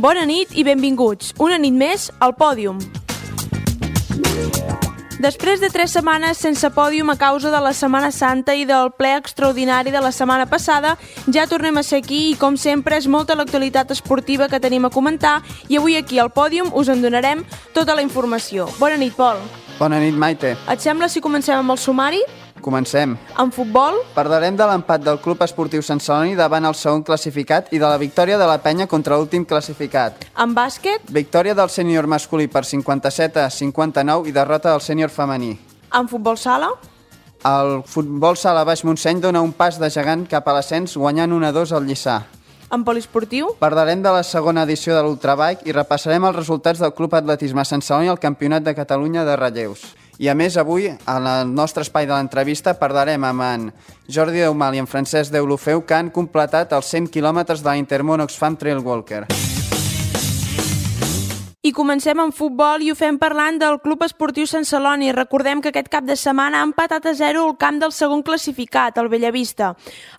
Bona nit i benvinguts, una nit més al Pòdium. Després de 3 setmanes sense pòdium a causa de la Setmana Santa i del ple extraordinari de la setmana passada, ja tornem a ser aquí i, com sempre, és molta l'actualitat esportiva que tenim a comentar i avui aquí al Pòdium us en donarem tota la informació. Bona nit, Pol. Bona nit, Maite. Et sembla si comencem amb el sumari? Comencem. En futbol? Parlarem de l'empat del Club Esportiu Sant Celoni davant el segon classificat i de la victòria de la Penya contra l'últim classificat. En bàsquet? Victòria del sènior masculí per 57-59 i derrota del sènior femení. En futbol sala? El futbol sala Baix Montseny dona un pas de gegant cap a l'ascens guanyant 1-2 al Lliçà. En poliesportiu? Parlarem de la segona edició de l'Ultrabike i repassarem els resultats del Club Atletisme Sant Celoni al Campionat de Catalunya de relleus. I a més, avui, en el nostre espai de l'entrevista, parlarem amb en Jordi Deumal i en Francesc Deulofeu, que han completat els 100 quilòmetres de la Intermón Oxfam Trail Walker. I comencem amb futbol i ho fem parlant del Club Esportiu Sant Celoni. Recordem que aquest cap de setmana ha empatat a 0 al camp del segon classificat, el Bellavista.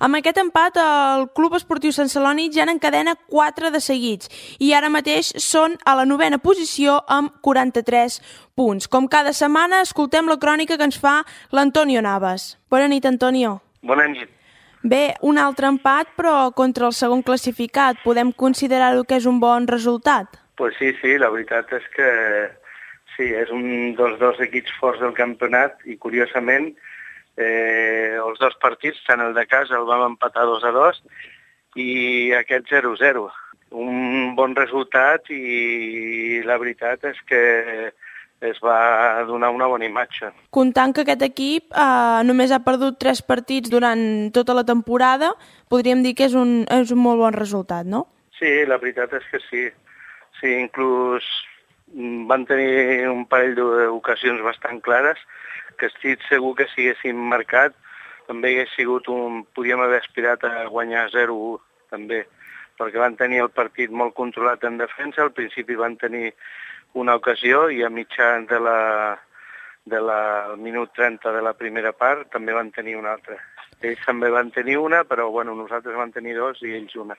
Amb aquest empat, el Club Esportiu Sant Celoni ja n'encadena 4 de seguits i ara mateix són a la 9a posició amb 43 punts. Com cada setmana, escoltem la crònica que ens fa l'Antonio Navas. Bona nit, Antonio. Bona nit. Bé, un altre empat, però contra el segon classificat. Podem considerar-ho que és un bon resultat? Pues sí, la veritat és que sí, és un dels 2 equips forts del campionat i, curiosament, els 2 partits, tant el de casa el vam empatar 2-2 i aquest 0-0. Un bon resultat i la veritat és que es va donar una bona imatge. Comptant que aquest equip només ha perdut 3 partits durant tota la temporada, podríem dir que és un molt bon resultat, no? Sí, la veritat és que sí. Sí, inclús van tenir un parell d'ocasions bastant clares que estic segur que si haguéssim marcat també hagués sigut podíem haver aspirat a guanyar 0-1 també, perquè van tenir el partit molt controlat en defensa, al principi van tenir una ocasió i a mitjà del minut 30 de la primera part també van tenir una altra. Ells també van tenir una, però nosaltres van tenir 2 i ells una.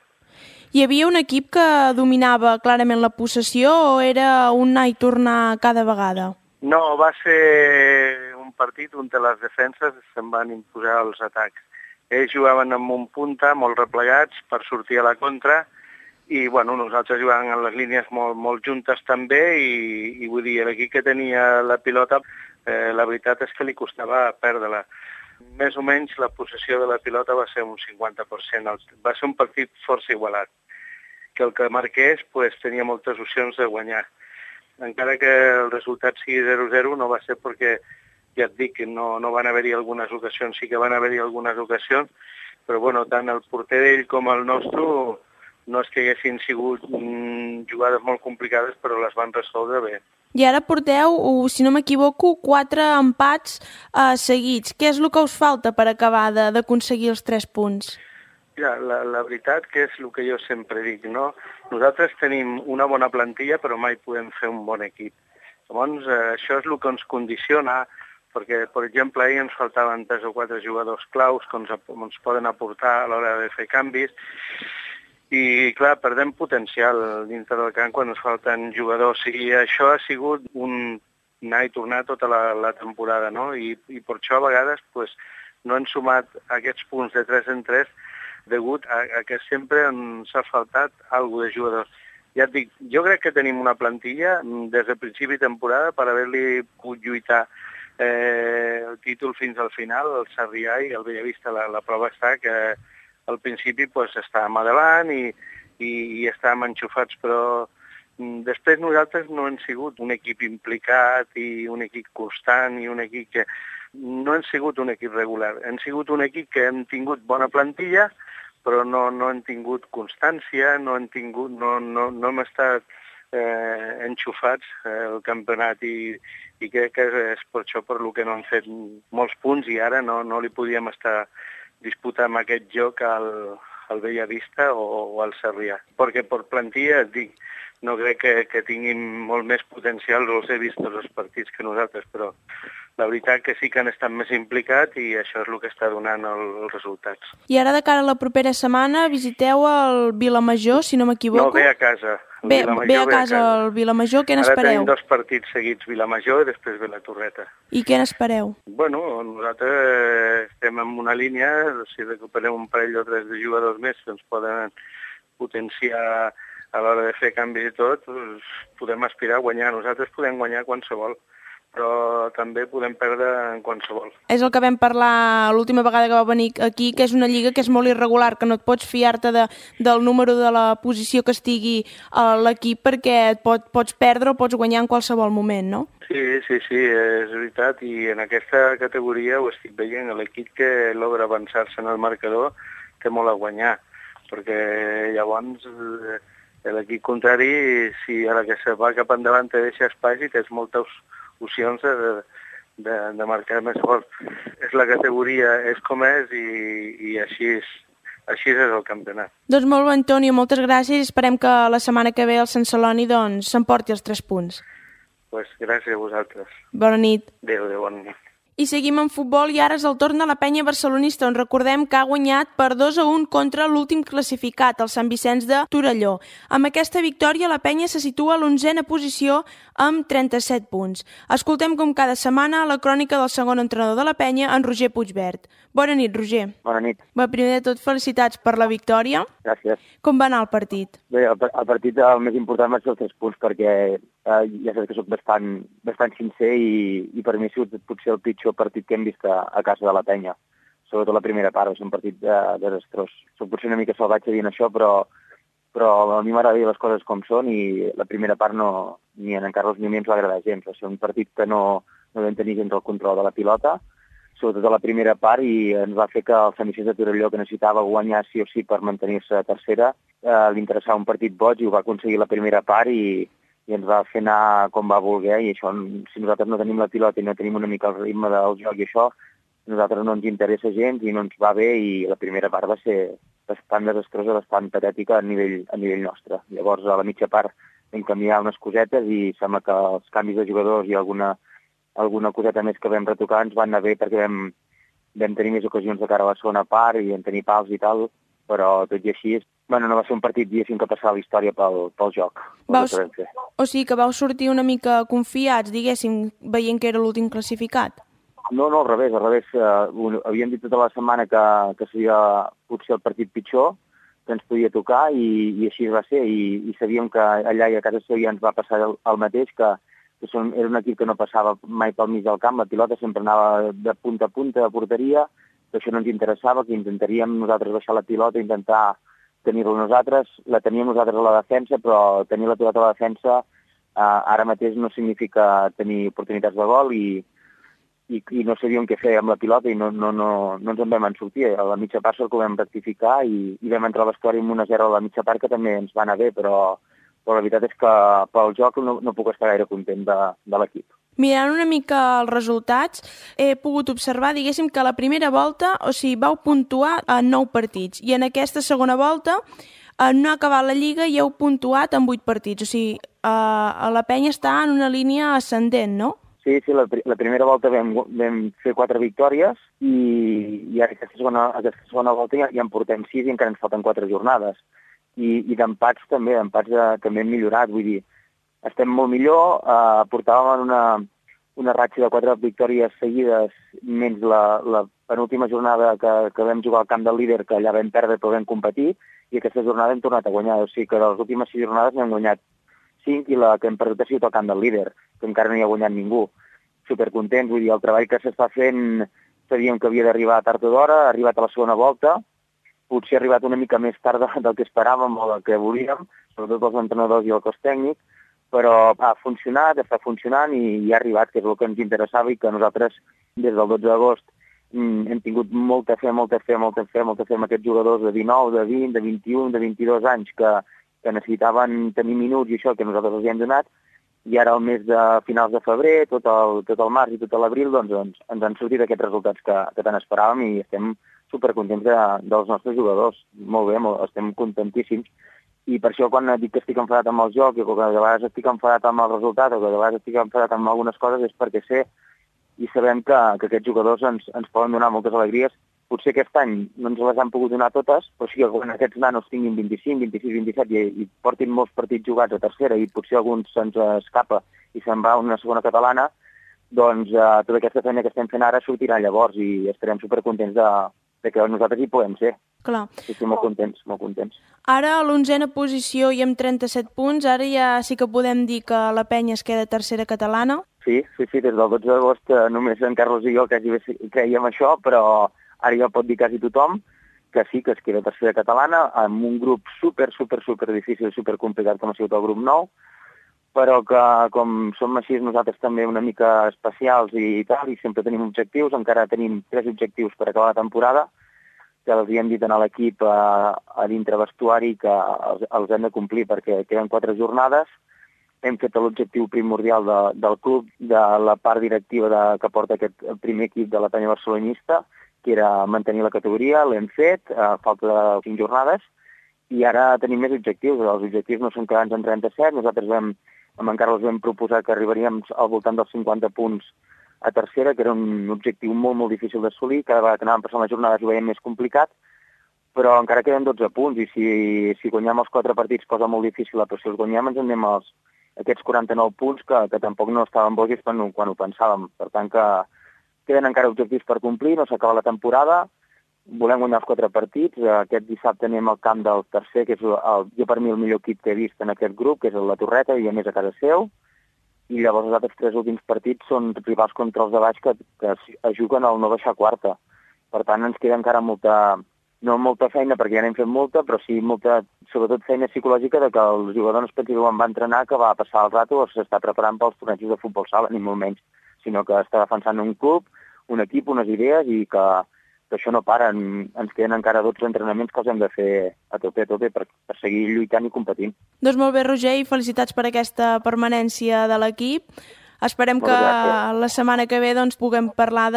Hi havia un equip que dominava clarament la possessió o era un anar i tornar cada vegada? No, va ser un partit on les defenses se'n van imposar els atacs. Ells jugaven amb un punta molt replegats per sortir a la contra i nosaltres jugàvem en les línies molt juntes també i vull dir, l'equip que tenia la pilota, la veritat és que li costava perdre-la. Més o menys la possessió de la pilota va ser un 50%. Va ser un partit força igualat, que el que marqués tenia moltes opcions de guanyar. Encara que el resultat sigui 0-0 no va ser perquè, ja et dic, no van haver-hi algunes ocasions, sí que van haver-hi algunes ocasions, però tant el porter d'ell com el nostre no és que haguessin sigut jugades molt complicades, però les van resoldre bé. I ara porteu, si no m'equivoco, 4 empats seguits. Què és el que us falta per acabar d'aconseguir els 3 punts? Ja, la veritat que és el que jo sempre dic, no? Nosaltres tenim una bona plantilla, però mai podem fer un bon equip. Llavors, això és el que ens condiciona, perquè, per exemple, ahir ens faltaven 3 o 4 jugadors claus que ens poden aportar a l'hora de fer canvis, i, clar, perdem potencial dintre del camp quan ens falten jugadors. I això ha sigut un anar i tornar tota la temporada, no? I per això a vegades no han sumat aquests punts de 3 en 3 degut a que sempre ens ha faltat alguna de jugadors. Ja et dic, jo crec que tenim una plantilla des de principi de temporada per haver-li pogut lluitar el títol fins al final, el Sarrià i el Bellavista. La prova està que al principi estàvem a davant i estàvem enxufats, però després nosaltres no hem sigut un equip implicat i un equip constant i un equip que... No hem sigut un equip regular, hem sigut un equip que hem tingut bona plantilla, però no hem tingut constància, no hem estat enxufats al campionat i crec que és per això per el que no hem fet molts punts i ara no li podíem estar disputant aquest joc al Bellavista o al Sarrià. Perquè per plantilla, et dic, no crec que tinguin molt més potencial, els he vist tots els partits que nosaltres, però la veritat que sí que han estat més implicats i això és el que està donant els resultats. I ara de cara a la propera setmana visiteu el Vilamajor, si no m'equivoco? No, ve a casa. Ve a casa el Vilamajor, què n'espereu? Ara tenim 2 partits seguits, Vilamajor i després ve la Torreta. I què n'espereu? Bueno, nosaltres estem en una línia, si recuperem un parell o 3 de jugadors més que ens poden potenciar a l'hora de fer canvis i tot, doncs podem aspirar a guanyar. Nosaltres podem guanyar qualsevol, però també podem perdre en qualsevol. És el que vam parlar l'última vegada que va venir aquí, que és una lliga que és molt irregular, que no et pots fiar-te del número de la posició que estigui a l'equip perquè pots perdre o pots guanyar en qualsevol moment, no? Sí, és veritat, i en aquesta categoria ho estic veient, l'equip que logra avançar-se en el marcador té molt a guanyar, perquè llavors l'equip contrari, si a la que se va cap endavant te deixa espai i tens moltes opcions de marcar més gols. És la categoria, és com és i així és el campionat. Doncs molt bé, Antonio, moltes gràcies i esperem que la setmana que ve el Sant Celoni s'emporti els 3 punts. Pues gràcies a vosaltres. Bona nit. Adéu, bona nit. I seguim en futbol i ara és el torn de la penya barcelonista, on recordem que ha guanyat per 2-1 contra l'últim classificat, el Sant Vicenç de Torelló. Amb aquesta victòria, la penya se situa a l'11a posició amb 37 punts. Escoltem com cada setmana la crònica del segon entrenador de la penya, en Roger Puigvert. Bona nit, Roger. Bona nit. Bé, primer de tot, felicitats per la victòria. Gràcies. Com va anar el partit? Bé, el partit el més important va ser els 3 punts, perquè ja saps que soc bastant sincer i per mi ha sigut potser el pitjor partit que hem vist a casa de la penya. Sobretot la primera part, va ser un partit desastrós. Soc potser una mica salvatge dient això, però a mi m'agrada dir les coses com són i la primera part ni en Carlos ni a mi ens va agradar gens. Va ser un partit que no vam tenir gens el control de la pilota, sobretot a la primera part, i ens va fer que el Sant Vicenç de Torelló, que necessitava guanyar sí o sí per mantenir-se a tercera, li interessava un partit boig i ho va aconseguir la primera part i ens va fer anar com va voler, i això, si nosaltres no tenim la pilota i no tenim una mica el ritme del joc i això, a nosaltres no ens interessa gens i no ens va bé, i la primera part va ser bastant desastrosa, bastant patètica a nivell nostre. Llavors, a la mitja part vam canviar unes cosetes i sembla que els canvis de jugadors i alguna coseta més que vam retocar ens van anar bé, perquè vam tenir més ocasions de cara a la segona part i vam tenir pals i tal, però tot i així, no va ser un partit, diguéssim, que passava la història pel joc. O sigui que vau sortir una mica confiats, diguéssim, veient que era l'últim classificat? No, al revés. Havíem dit tota la setmana que seria potser el partit pitjor, que ens podia tocar, i així va ser, i sabíem que allà i a casa seva ens va passar el mateix, que era un equip que no passava mai pel mig del camp, la pilota sempre anava de punta a punta a porteria, que això no ens interessava, que intentaríem nosaltres baixar la pilota, intentar tenir-la nosaltres, la teníem nosaltres a la defensa, però tenir la pilota a la defensa ara mateix no significa tenir oportunitats de gol, i no sabíem què fer amb la pilota i no ens en vam sortir. A la mitja part que ho vam rectificar i vam entrar a vestuari amb 1-0 a la mitja part, que també ens va anar bé, però la veritat és que pel joc no puc estar gaire content de l'equip. Mirant una mica els resultats, he pogut observar, diguéssim, que a la primera volta, vau puntuar en 9 partits, i en aquesta segona volta no ha acabat la Lliga i heu puntuat en 8 partits. O sigui, la penya està en una línia ascendent, no? Sí, la primera volta vam fer 4 victòries i ara aquesta segona volta ja en portem 6 i encara ens falten 4 jornades. I d'empats també hem millorat, vull dir, estem molt millor, portàvem una ratxa de 4 victòries seguides, menys la penúltima jornada que vam jugar al camp del líder, que allà vam perdre però vam competir, i aquesta jornada hem tornat a guanyar. O sigui que de les últimes 6 jornades n'hem guanyat 5 i la que hem perdut ha sigut al camp del líder, que encara no hi ha guanyat ningú. Supercontents, vull dir, el treball que s'està fent sabíem que havia d'arribar tard o d'hora, ha arribat a la segona volta, potser ha arribat una mica més tard del que esperàvem o del que volíem, sobretot els entrenadors i el cos tècnic, però ha funcionat, està funcionant i ha arribat, que és el que ens interessava, i que nosaltres des del 12 d'agost hem tingut molta fe amb aquests jugadors de 19, de 20, de 21, de 22 anys que necessitaven tenir minuts i això que nosaltres els hem donat, i ara al mes de finals de febrer, tot el març i tot l'abril, doncs ens han sortit aquests resultats que tant esperàvem i estem supercontents dels nostres jugadors. Molt bé, estem contentíssims. I per això quan dic que estic enfadat amb el joc, o que de vegades estic enfadat amb el resultat, o que de vegades estic enfadat amb algunes coses, és perquè sé i sabem que aquests jugadors ens poden donar moltes alegries Potser aquest any no ens les han pogut donar totes, però sí que quan aquests nanos tinguin 25, 26, 27 i portin molts partits jugats a tercera i potser alguns se'ns escapa i se'n va a una segona catalana, doncs tota aquesta feina que estem fent ara sortirà llavors i estarem supercontents de que nosaltres hi podem ser. Clar. Sí, molt contents, molt contents. Ara a l'11a posició i amb 37 punts, ara ja sí que podem dir que la penya es queda tercera catalana. Sí, des del 12 d'agost només en Carlos i jo quasi creiem això, però ara ja pot dir quasi tothom que sí, que es queda tercera catalana amb un grup super difícil, super complicat com ha sigut el grup 9, però que com som així nosaltres també una mica especials i tal, i sempre tenim objectius, encara tenim 3 objectius per acabar la temporada, que els hi hem dit a l'equip a dintre vestuari que els hem de complir perquè queden 4 jornades. Hem fet l'objectiu primordial del club, de la part directiva que porta aquest primer equip de la penya barcelonista, que era mantenir la categoria, l'hem fet, falta de 5 jornades, i ara tenim més objectius. Els objectius no són quedar-nos en 37, nosaltres amb en Carlos vam proposar que arribaríem al voltant dels 50 punts a tercera, que era un objectiu molt difícil d'assolir, cada vegada que anàvem passant les jornades ho veiem més complicat, però encara queden 12 punts, i si guanyem els 4 partits, cosa molt difícil, però si els guanyem ens en anem aquests 49 punts que tampoc no estaven bojos quan ho pensàvem. Per tant, que queden encara objectius per complir, no s'acaba la temporada, volem guanyar els 4 partits. Aquest dissabte anem al camp del tercer, que és jo per mi el millor equip que he vist en aquest grup, que és la Torreta, i a més a casa seu, i llavors els altres 3 últims partits són rivals contra els de baix que es juguen al no baixar quarta. Per tant, ens queda encara no molta feina, perquè ja n'hem fet molta, però sí molta, sobretot feina psicològica de que el jugador no es pensi que quan va entrenar que va passar el rato o s'està preparant pels tornejos de futbol sala, ni molt menys, sinó que està defensant un club, un equip, unes idees, i que això no para. Ens queden encara 12 entrenaments que els hem de fer a tope per seguir lluitant i competint. Doncs molt bé, Roger, i felicitats per aquesta permanència de l'equip. Esperem que la setmana que ve puguem parlar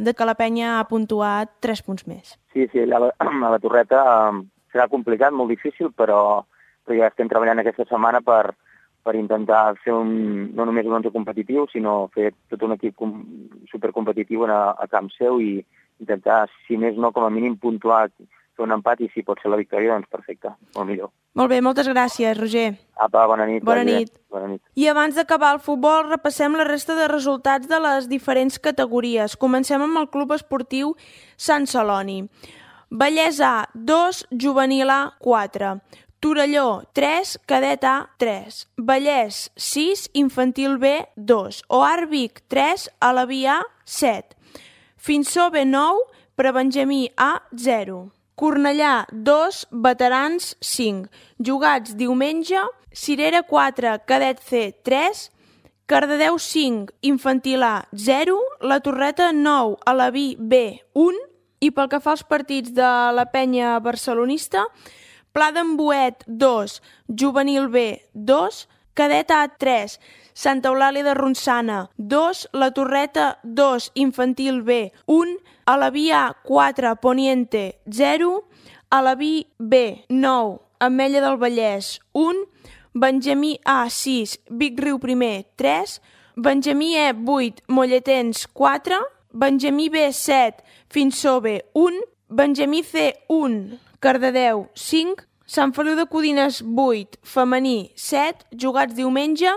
de que la penya ha puntuat 3 punts més. Sí, allà a la Torreta serà complicat, molt difícil, però ja estem treballant aquesta setmana per intentar fer no només un 11 competitiu, sinó fer tot un equip supercompetitiu a camp seu i intentar, si més no, com a mínim puntuar, fer un empat, i si pot ser la victòria, doncs perfecte, molt millor. Molt bé, moltes gràcies, Roger. Apa, bona nit. Bona nit. I abans d'acabar el futbol, repassem la resta de resultats de les diferents categories. Comencem amb el Club Esportiu Sant Celoni. Vallès A, 2, Juvenil A, 4. Torelló, 3, Cadet A, 3. Vallès, 6, Infantil B, 2. Oar Vic, 3, Alaví A, 7. Finsó B, 9, Prebenjamí A, 0. Cornellà, 2, Veterans, 5. Jugats diumenge, Cirera 4, Cadet C, 3. Cardedeu 5, Infantil A, 0. La Torreta 9, Alaví B, 1. I pel que fa als partits de la penya barcelonista, Pla d'en Boet 2, Juvenil B 2, Cadet A 3, Santa Eulàlia de Ronçana 2, La Torreta 2, Infantil B 1, Alaví A 4, Poniente 0, Alaví B 9, Ametlla del Vallès 1, Benjamí A 6, Vic Riu Primer 3, Benjamí E 8, Molletens 4, Benjamí B 7, Finsó B 1, Benjamí C 1, Cardedeu 5, Sant Feliu de Codines 8, femení 7, jugats diumenge,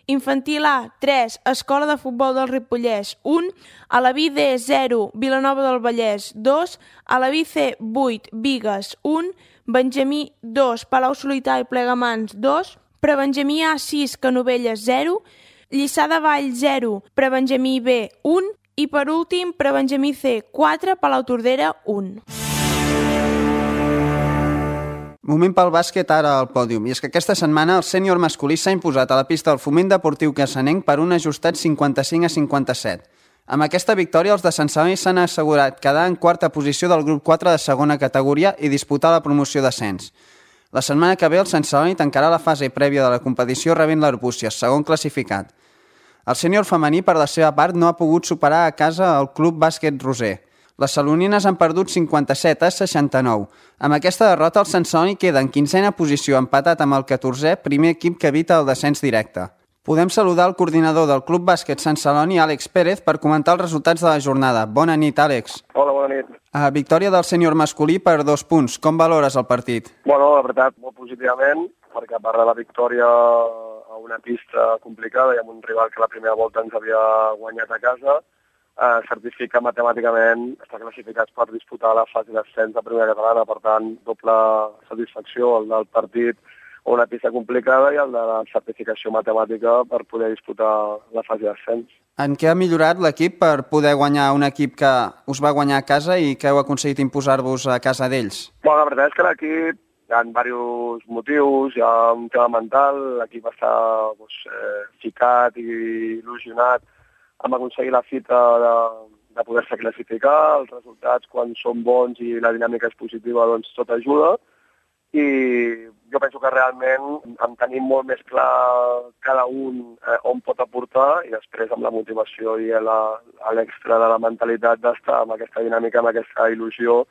Infantil A 3, Escola de Futbol del Ripollès 1, Alaví D 0, Vilanova del Vallès 2, Alaví C 8, Bigues 1, Benjamí 2, Palau Solità i Plegamans 2, Prebenjamí A 6, Canovelles 0, Lliçà de Vall 0, Prebenjamí B 1 i per últim Prebenjamí C 4, Palau Tordera 1. Moment pel bàsquet ara al pòdium, i és que aquesta setmana el sènior masculí s'ha imposat a la pista del Foment Deportiu Cassanenc per un ajustat 55-57. Amb aquesta victòria, els de Sant Celoni s'han assegurat quedar en quarta posició del grup 4 de segona categoria i disputar la promoció d'ascens. La setmana que ve el Sant Celoni tancarà la fase prèvia de la competició rebent l'Arbúcies, segon classificat. El sènior femení, per la seva part, no ha pogut superar a casa el Club Bàsquet Roser. Les salonines han perdut 57-69. Amb aquesta derrota, el Sant Celoni queda en 15a posició, empatat amb el 14è, primer equip que evita el descens directe. Podem saludar el coordinador del Club Bàsquet Sant Celoni, Àlex Pérez, per comentar els resultats de la jornada. Bona nit, Àlex. Hola, bona nit. Victòria del sènior masculí per 2 punts. Com valores el partit? Bueno, la veritat, molt positivament, perquè a part de la victòria a una pista complicada i amb un rival que la primera volta ens havia guanyat a casa, certifica matemàticament estar classificats per disputar la fase d'ascens de primera catalana. Per tant, doble satisfacció, el del partit a una pista complicada i el de la certificació matemàtica per poder disputar la fase d'ascens. En què ha millorat l'equip per poder guanyar un equip que us va guanyar a casa i que heu aconseguit imposar-vos a casa d'ells? Bueno, la veritat és que l'equip hi ha diversos motius, hi ha un tema mental, l'equip està ficat i il·lusionat amb aconseguir la fita de poder-se classificar, els resultats quan són bons i la dinàmica és positiva, doncs tot ajuda. I jo penso que realment en tenim molt més clar cada un on pot aportar i després amb la motivació i l'extra de la mentalitat d'estar amb aquesta dinàmica, amb aquesta il·lusió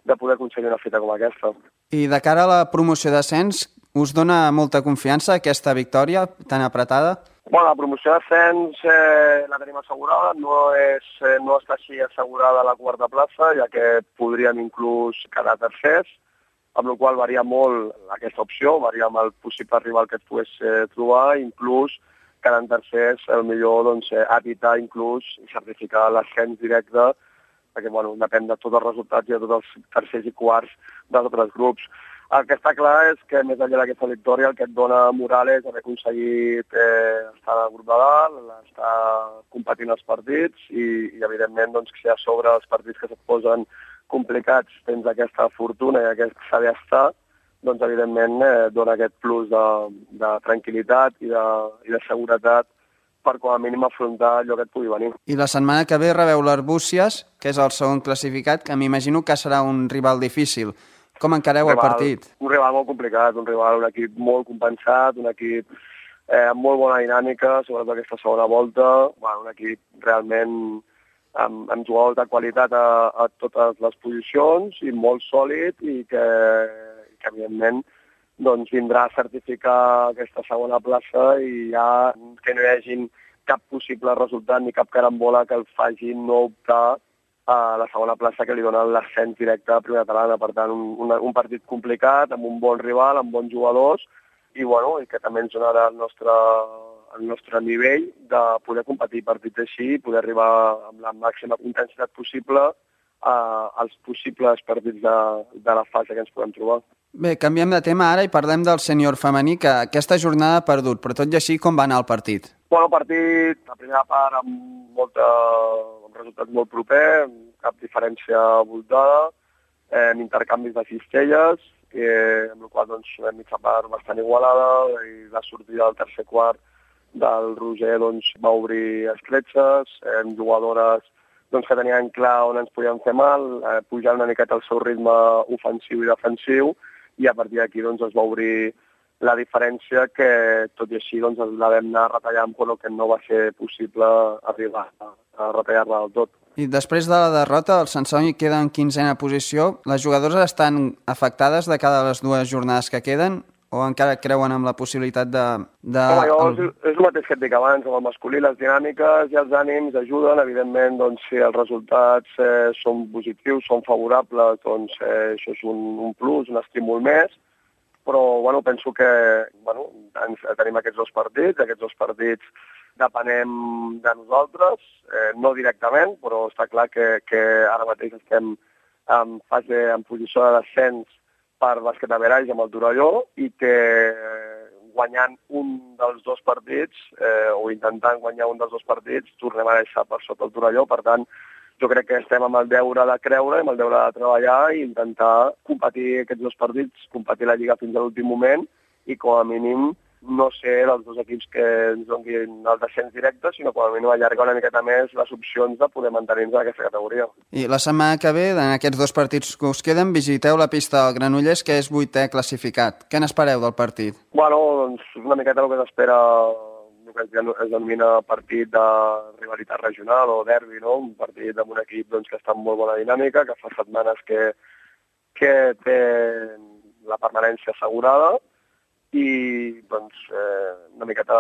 de poder aconseguir una fita com aquesta. I de cara a la promoció d'ascens, us dona molta confiança aquesta victòria tan apretada? Bueno, la promoció d'ascens la tenim assegurada, no està així assegurada la quarta plaça, ja que podríem inclús quedar tercers, amb la qual varia molt aquesta opció, varia amb el possible rival que et pogués trobar, inclús quedant tercers, millor doncs, evitar inclús certificar l'ascens directe, perquè bueno, depèn de tots els resultats i de tots els tercers i quarts dels altres grups. El que està clar és que més enllà d'aquesta victòria el que et dona moral és haver aconseguit estar al grup de dalt, estar competint els partits i evidentment doncs, que si a sobre els partits que se't posen complicats tens aquesta fortuna i aquest saber estar, doncs evidentment dona aquest plus de tranquil·litat i de seguretat per com a mínim afrontar allò que et pugui venir. I la setmana que ve rebeu l'Arbúcies, que és el segon classificat, que m'imagino que serà un rival difícil. Com encareu el partit? Un rival molt complicat, un equip molt compensat, un equip amb molt bona dinàmica, sobretot aquesta segona volta, un equip realment amb jugadors de qualitat a totes les posicions i molt sòlid i que evidentment doncs, vindrà a certificar aquesta segona plaça i ja que no hi hagi cap possible resultat ni cap carambola que el faci no optar a la segona plaça que li dona l'ascens directe a primera catalana. Per tant, un partit complicat, amb un bon rival, amb bons jugadors i que també ens donarà el nostre nivell de poder competir partits així i poder arribar amb la màxima intensitat possible als possibles partits de la fase que ens podem trobar. Bé, canviem de tema ara i parlem del sènior femení, que aquesta jornada ha perdut, però tot i així com va anar el partit? El partit, la primera part amb resultat molt proper, cap diferència voltada, amb intercanvis de cistelles, amb la qual doncs, una mitja part bastant igualada i la sortida del tercer quart del Roger doncs, va obrir escletxes, jugadores doncs, que tenien clar on ens podien fer mal, pujar una miqueta el seu ritme ofensiu i defensiu i a partir d'aquí doncs, es va obrir la diferència que tot i així doncs, la vam anar retallant però que no va ser possible arribar a retallar-la del tot. I després de la derrota, el Sant Celoni queda en 15a posició. Les jugadores estan afectades de cada les dues jornades que queden o encara creuen amb la possibilitat de... És el mateix que et dic abans, amb el masculí, les dinàmiques i els ànims ajuden, evidentment, doncs, si els resultats són positius, són favorables, doncs això és un plus, un estímul més, però penso que tenim aquests dos partits depenem de nosaltres, no directament, però està clar que ara mateix estem en posició de descens per bàsquet a Veraix amb el Torelló i que guanyant un dels dos partits o intentant guanyar un dels dos partits tornem a deixar per sota el Torelló. Per tant, jo crec que estem amb el deure de creure, amb el deure de treballar i intentar competir aquests dos partits, competir la Lliga fins a l'últim moment i com a mínim no ser dels dos equips que ens donin el descens directe, sinó com a mínim allargar una miqueta més les opcions de poder mantenir-nos en aquesta categoria. I la setmana que ve, en aquests dos partits que us queden, visiteu la pista del Granollers, que és 8è classificat. Què n'espereu del partit? Doncs una miqueta el que s'espera, el que es denomina partit de rivalitat regional o derbi, no? Un partit amb un equip doncs, que està en molt bona dinàmica, que fa setmanes que té la permanència assegurada i doncs, una miqueta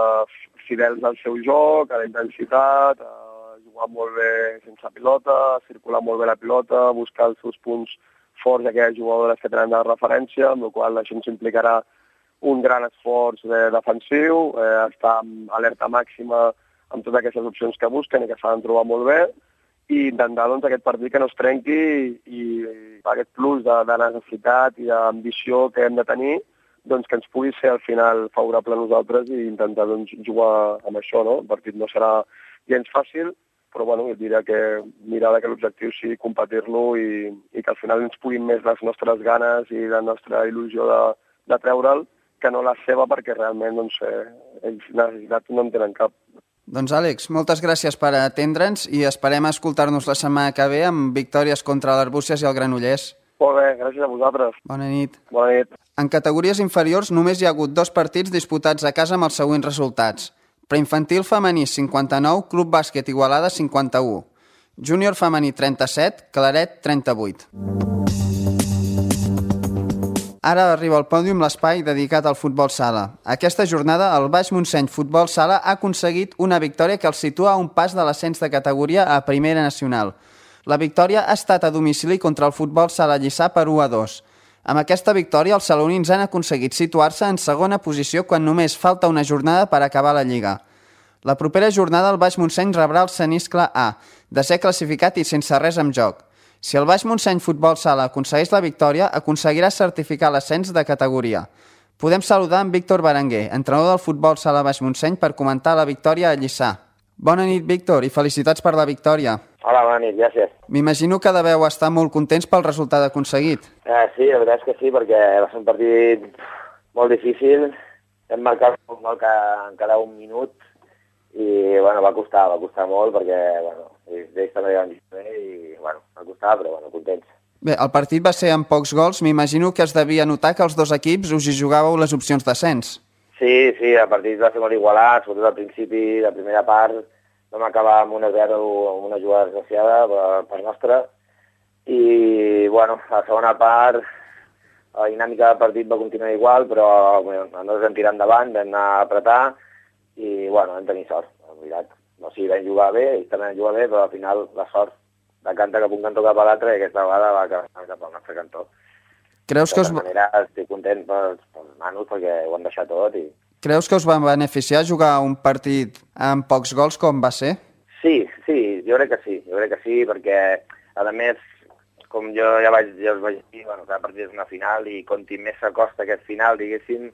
fidels al seu joc, a la intensitat, a jugar molt bé sense pilota, circular molt bé la pilota, buscar els seus punts forts d'aquelles jugadores que tenen de referència, amb la qual cosa això ens implicarà un gran esforç defensiu, estar amb alerta màxima amb totes aquestes opcions que busquen i que s'han de trobar molt bé, i intentar doncs, aquest partit que no es trenqui i aquest plus de necessitat i d'ambició que hem de tenir, doncs, que ens pugui ser al final favorable a nosaltres i intentar doncs, jugar amb això. No? El partit no serà gens fàcil, però bueno, jo diria que mirar que l'objectiu sigui competir-lo i que al final ens puguin més les nostres ganes i la nostra il·lusió de treure'l que no la seva, perquè realment doncs, ells necessitats no en tenen cap. Doncs Àlex, moltes gràcies per atendre'ns i esperem escoltar-nos la setmana que ve amb victòries contra l'Arbúcies i el Granollers. Molt bé, gràcies a vosaltres. Bona nit. Bona nit. En categories inferiors només hi ha hagut 2 partits disputats a casa amb els següents resultats. Preinfantil femení 59, Club Bàsquet Igualada 51. Júnior femení 37, Claret 38. Ara arriba al pòdium l'espai dedicat al futbol sala. Aquesta jornada el Baix Montseny Futbol Sala ha aconseguit una victòria que el situa a un pas de l'ascens de categoria a Primera Nacional. La victòria ha estat a domicili contra el Futbol Sala Lliçà per 1-2. Amb aquesta victòria, els salonins han aconseguit situar-se en segona posició quan només falta una jornada per acabar la Lliga. La propera jornada el Baix Montseny rebrà el Ceniscle A, desè classificat i sense res en joc. Si el Baix Montseny Futbol Sala aconsegueix la victòria, aconseguirà certificar l'ascens de categoria. Podem saludar en Víctor Berenguer, entrenador del Futbol Sala Baix Montseny, per comentar la victòria a Lliçà. Bona nit, Víctor, i felicitats per la victòria. Hola, bona nit, gràcies. M'imagino que deveu estar molt contents pel resultat aconseguit. Sí, la veritat és que sí, perquè va ser un partit molt difícil. Hem marcat un gol en cada un minut i bueno, va costar molt perquè ells també van dir bé i bueno, va costar, però bueno, contents. Bé, el partit va ser amb pocs gols. M'imagino que es devia notar que els dos equips us hi jugàveu les opcions d'ascens. Sí, el partit va ser molt igualat, sobretot al principi, la primera part, vam acabar amb 1-0 amb una jugada desgraciada per nostra i bueno, a la segona part la dinàmica del partit va continuar igual, però nosaltres vam tirar endavant, vam anar a apretar i bueno, vam tenir sort, en veritat. O sigui, vam jugar bé, ells també van jugar bé, però al final la sort decanta cap un cantó cap a l'altre i aquesta vegada va cap al nostre cantó. Creus que de tota manera estic content pels nanos perquè ho han deixat tot i... Creus que us va beneficiar jugar un partit amb pocs gols com va ser? Sí, jo crec que sí, perquè a més, com jo ja us vaig dir, bueno, cada partit és una final i conti més s'acosta aquest final, diguéssim,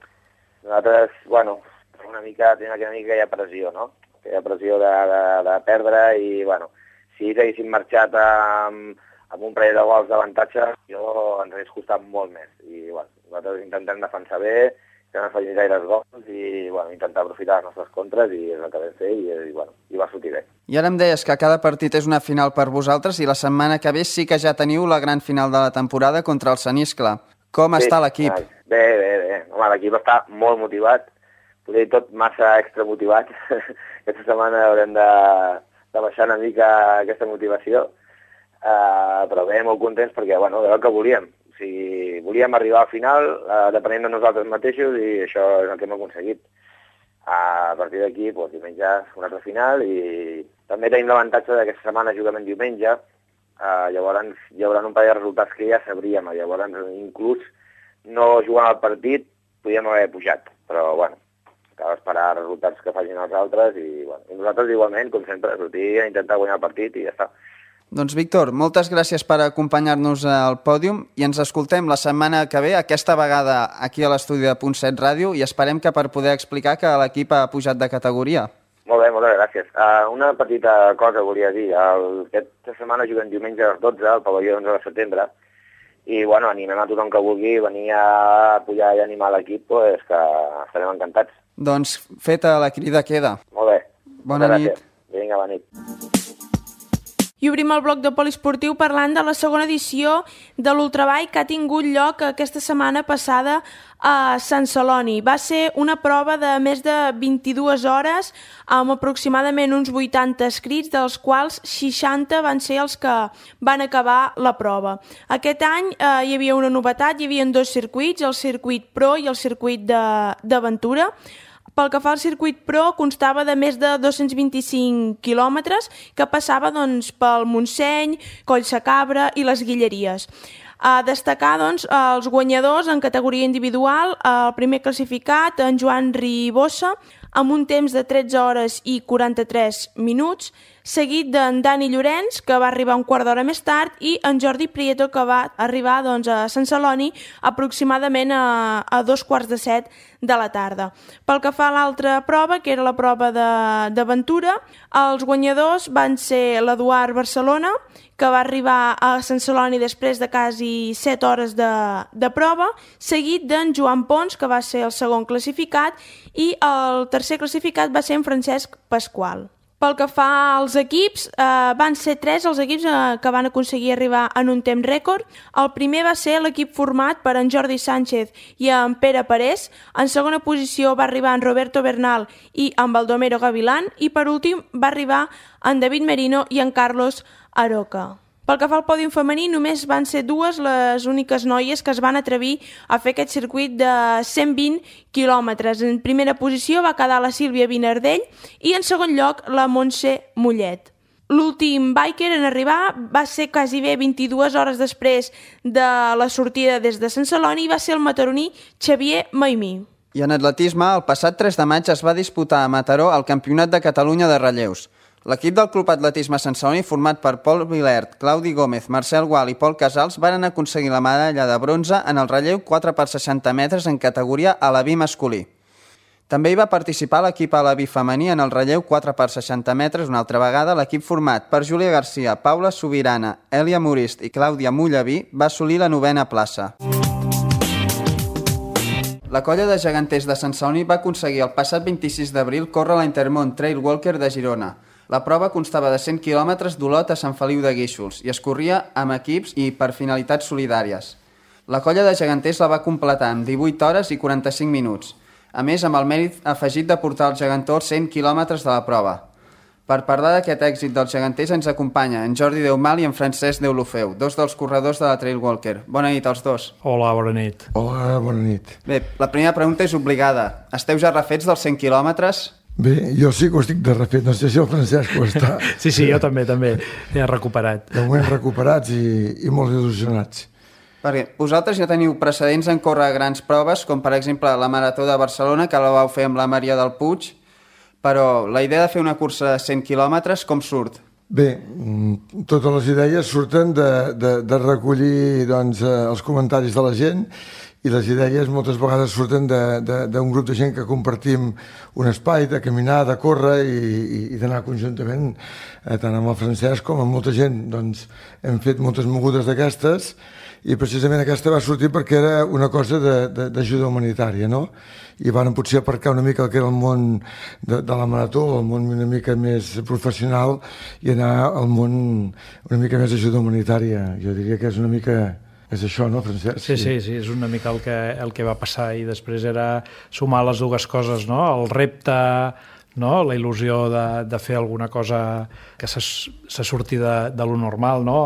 nosaltres, bueno, tenim una mica que hi ha pressió, no? Que hi ha pressió de perdre i, bueno, si ells haguessin marxat amb un parell de gols d'avantatge, jo ens hauria costat molt més. I, bueno, nosaltres intentem defensar bé, que no facin gaires gols i, bueno, intentar aprofitar les nostres contres i és el que vam fer i bueno, i va sortir bé. I ara em deies que cada partit és una final per vosaltres i la setmana que ve sí que ja teniu la gran final de la temporada contra el Ceniscle. Com està l'equip? Bé. Home, l'equip està molt motivat, potser tot massa extramotivat. Aquesta setmana haurem de baixar una mica aquesta motivació, però bé, molt contents perquè, bueno, era el que volíem. O sigui, volíem arribar al final depenent de nosaltres mateixos i això és el que hem aconseguit. A partir d'aquí, doncs, diumenge una altra final i també tenim l'avantatge d'aquesta setmana juguem en diumenge, llavors hi haurà un parell de resultats que ja sabríem, llavors inclús no jugant al partit podíem haver pujat, però bueno, cal esperar resultats que facin els altres i, bueno, i nosaltres igualment, com sempre, sortir a intentar guanyar el partit i ja està. Doncs Víctor, moltes gràcies per acompanyar-nos al pòdium i ens escoltem la setmana que ve, aquesta vegada aquí a l'estudi de Punt 7 Ràdio i esperem que per poder explicar que l'equip ha pujat de categoria. Molt bé, moltes gràcies. Una petita cosa volia dir. Aquesta setmana juguem diumenge a les 12 al pavelló 11 de setembre i bueno, animem a tothom que vulgui venir a pujar i animar l'equip, pues, que estarem encantats. Doncs feta la crida queda. Molt bé. Bona nit. Vinga, bona nit. I obrim el bloc de poliesportiu parlant de la segona edició de l'Ultrabike que ha tingut lloc aquesta setmana passada a Sant Celoni. Va ser una prova de més de 22 hores amb aproximadament uns 80 escrits, dels quals 60 van ser els que van acabar la prova. Aquest any hi havia una novetat, hi havia 2 circuits, el circuit Pro i el circuit d'aventura. Pel que fa al circuit Pro, constava de més de 225 quilòmetres que passava pel Montseny, Collsacabra i les Guilleries. A destacar els guanyadors en categoria individual, el primer classificat, en Joan Ribossa, amb un temps de 13 hores i 43 minuts, seguit d'en Dani Llorenç, que va arribar un quart d'hora més tard, i en Jordi Prieto, que va arribar a Sant Celoni aproximadament a 7:15 de la tarda. Pel que fa a l'altra prova, que era la prova d'aventura, els guanyadors van ser l'Eduard Barcelona, que va arribar a Sant Celoni després de quasi 7 hores de prova, seguit d'en Joan Pons, que va ser el segon classificat, i el tercer classificat va ser en Francesc Pasqual. Pel que fa als equips, van ser 3 els equips que van aconseguir arribar en un temps rècord. El primer va ser l'equip format per en Jordi Sánchez i en Pere Parés. En segona posició va arribar en Roberto Bernal i en Baldomero Gavilán. I per últim va arribar en David Merino i en Carlos Aroca. Pel que fa al pòdium femení, només van ser 2 les úniques noies que es van atrevir a fer aquest circuit de 120 quilòmetres. En primera posició va quedar la Sílvia Vinardell i en segon lloc la Montse Mollet. L'últim biker en arribar va ser quasi bé 22 hores després de la sortida des de Sant Celoni i va ser el mataroní Xavier Maimí. I en atletisme, el passat 3 de maig es va disputar a Mataró el Campionat de Catalunya de relleus. L'equip del Club Atletisme Sant Celoni, format per Pol Vilert, Claudi Gómez, Marcel Gual i Pol Casals, van aconseguir la medalla de bronze en el relleu 4x60 metres en categoria alabí masculí. També hi va participar l'equip alabí femení en el relleu 4x60 metres, una altra vegada. L'equip format per Júlia Garcia, Paula Sobirana, Èlia Morist i Clàudia Mullaví va assolir la 9a plaça. La colla de geganters de Sant Celoni va aconseguir el passat 26 d'abril córrer la Intermont Trail Walker de Girona. La prova constava de 100 quilòmetres d'Olot a Sant Feliu de Guíxols i es corria amb equips i per finalitats solidàries. La colla de geganters la va completar en 18 hores i 45 minuts, a més amb el mèrit afegit de portar els gegantors 100 quilòmetres de la prova. Per parlar d'aquest èxit dels geganters ens acompanya en Jordi Deumal i en Francesc Deulofeu, 2 dels corredors de la Trail Walker. Bona nit als 2. Hola, bona nit. Hola, bona nit. Bé, la primera pregunta és obligada. Esteu ja refets dels 100 quilòmetres? Bé, jo sí que ho estic de refet, no sé si el Francesc ho està. Sí, jo també he recuperat. De moment recuperats i molt il·lusionats. Perquè vosaltres ja teniu precedents en córrer grans proves, com per exemple la Marató de Barcelona, que la vau fer amb la Maria del Puig, però la idea de fer una cursa de 100 quilòmetres, com surt? Bé, totes les idees surten de recollir els comentaris de la gent, i les idees moltes vegades surten d'un grup de gent que compartim un espai de caminar, de córrer i d'anar conjuntament, tant amb el Francesc com amb molta gent. Doncs hem fet moltes mogudes d'aquestes i precisament aquesta va sortir perquè era una cosa d'ajuda humanitària, no? I van potser aparcar una mica el que era el món de la marató, el món una mica més professional i anar al món una mica més d'ajuda humanitària. Jo diria que és una mica... És això, no, Francesc? Sí, és una mica el que va passar i després era sumar les dues coses, no? El repte, no? La il·lusió de fer alguna cosa que se surti de lo normal, no?